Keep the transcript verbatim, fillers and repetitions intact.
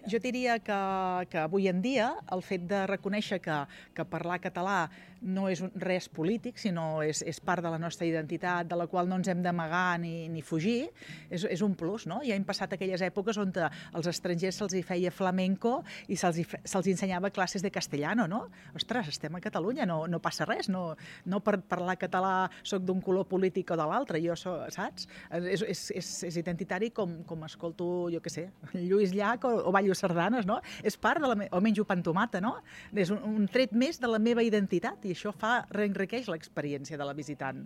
Jo diria que, que avui en dia el fet de reconèixer que, que parlar català no és un, res polític, sinó és, és part de la nostra identitat, de la qual no ens hem d'amagar ni, ni fugir, és, és un plus, no? Ja hem passat aquelles èpoques on als estrangers se'ls hi feia flamenco i se'ls se ensenyava classes de castellano, no? Ostres, estem a Catalunya, no, no passa res, no, no per parlar català soc d'un color polític o de l'altre, jo soc, saps? És, és, és, és identitari com, com escolto, jo què sé, Lluís Llach o, o ballo sardanes, no? És part de la me... o menjo pa amb tomata, no? És un, un tret més de la meva identitat i això fa, reenriqueix l'experiència de la visitant.